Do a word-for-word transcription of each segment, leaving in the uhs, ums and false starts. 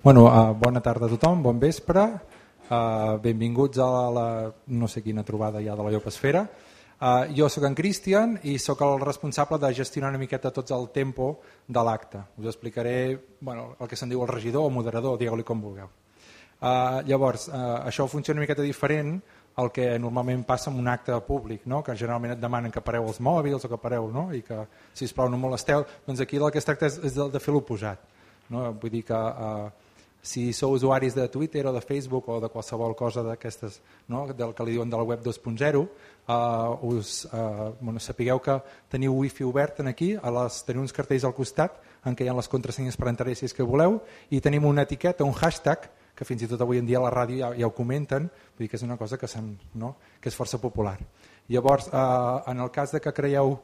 Bueno, uh, bona tarda a tothom, bon vespre, uh, benvinguts a la, la no sé quina trobada ja de la Llopesfera. Uh, jo sóc en Cristian i sóc el responsable de gestionar una miqueta tots el tempo de l'acte. Us explicaré bueno, el que se'n diu el regidor o moderador, digueu-li com vulgueu. Uh, llavors, uh, això funciona una miqueta diferent al que normalment passa en un acte públic, no? Que generalment et demanen que pareu els mòbils o que pareu, no? I que, sisplau, no molesteu. Doncs aquí el que es tracta és, és de, de fer l'oposat. No? Vull dir que uh, si sou usuaris de Twitter o de Facebook o de qualsevol cosa d'aquestes, no? Del que li diuen de la web dos punt zero, uh, us, uh, bueno, sapigueu que teniu wifi obert aquí, a les, teniu uns cartells al costat en què hi ha les contrasenyes per entrar si és que voleu, i tenim una etiqueta, un hashtag, que fins i tot avui en dia a la ràdio ja, ja ho comenten, vull dir que és una cosa que, no? Que és força popular. Llavors, uh, en el cas de que creieu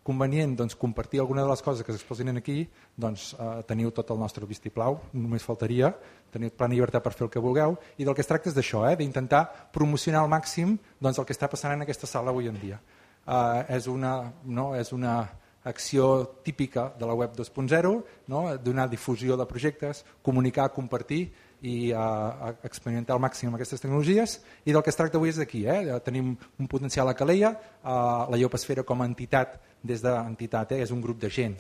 convenient doncs, compartir alguna de les coses que s'exposin aquí, doncs eh, teniu tot el nostre vistiplau, només faltaria, teniu plena llibertat per fer el que vulgueu, i del que es tracta és d'això, eh, d'intentar promocionar al màxim doncs, el que està passant en aquesta sala avui en dia. Eh, és, una, no, és una acció típica de la web dos punt zero, no? Donar difusió de projectes, comunicar, compartir i uh, experimentar al màxim aquestes tecnologies, i del que es tracta avui és d'aquí, eh? Tenim un potencial a Calella, uh, la Llopesfera com a entitat, des d'entitat, eh? És un grup de gent.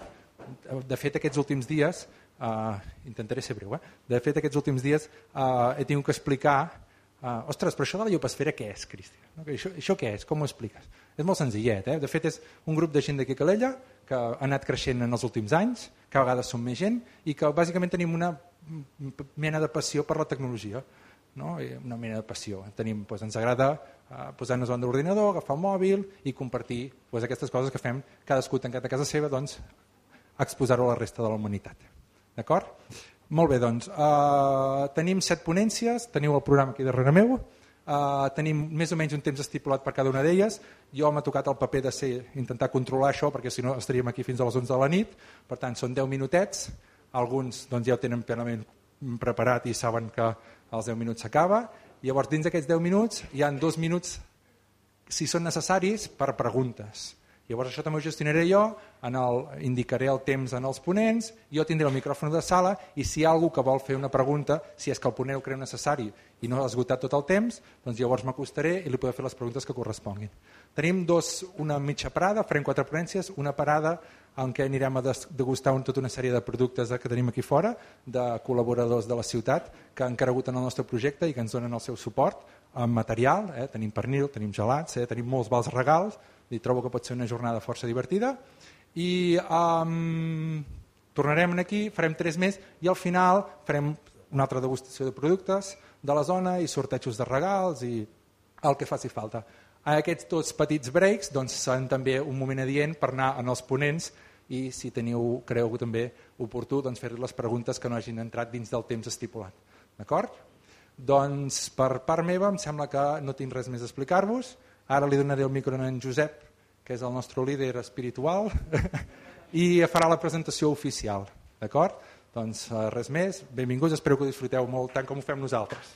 De fet, aquests últims dies, uh, intentaré ser breu, eh? de fet aquests últims dies uh, he tingut que explicar, uh, ostres, però això de la Llopesfera què és, Cristian? No? Això, això què és? Com ho expliques? És molt senzillet, eh? De fet és un grup de gent d'aquí a Calella que ha anat creixent en els últims anys, cada vegada som més gent i que bàsicament tenim una mena de passió per la tecnologia, no? Una mena de passió. Tenim, doncs, ens agrada uh, posar-nos davant de l'ordinador, agafar el mòbil i compartir doncs, aquestes coses que fem cadascú tancat a casa seva, doncs, exposar-ho a la resta de la humanitat. D'acord? Molt bé, doncs, uh, tenim set ponències, teniu el programa aquí darrere meu, uh, tenim més o menys un temps estipulat per cada una d'elles. Jo m'ha tocat el paper de ser, intentar controlar això, perquè si no estaríem aquí fins a les onze de la nit, per tant són deu minutets. Alguns doncs, ja ho tenen plenament preparat i saben que als deu minuts s'acaba. Llavors, dins d'aquests deu minuts hi ha dos minuts, si són necessaris, per preguntes. Llavors, això també ho gestionaré jo, en el, indicaré el temps en els ponents, jo tindré el micròfon de sala i si hi ha algú que vol fer una pregunta, si és que el ponent ho creu necessari i no ha esgotat tot el temps, doncs llavors m'acostaré i li podré fer les preguntes que corresponguin. Tenim dos, una mitja parada, farem quatre ponències, una parada en què anirem a degustar tota una sèrie de productes que tenim aquí fora, de col·laboradors de la ciutat que han cregut en el nostre projecte i que ens donen el seu suport en material, eh? Tenim pernil, tenim gelats, eh? Tenim molts vals regals, i trobo que pot ser una jornada força divertida i um, tornarem aquí, farem tres més i al final farem una altra degustació de productes de la zona i sortejos de regals i el que faci falta. Aquests dos petits breaks doncs, seran també un moment adient per anar en els ponents i si teniu, creu també oportú, doncs, fer les preguntes que no hagin entrat dins del temps estipulat. D'acord? Doncs per part meva em sembla que no tinc res més a explicar-vos. Ara li donaré el micro a en Josep, que és el nostre líder espiritual, i farà la presentació oficial. D'acord? Doncs res més. Benvinguts, espero que ho disfruteu molt tant com ho fem nosaltres.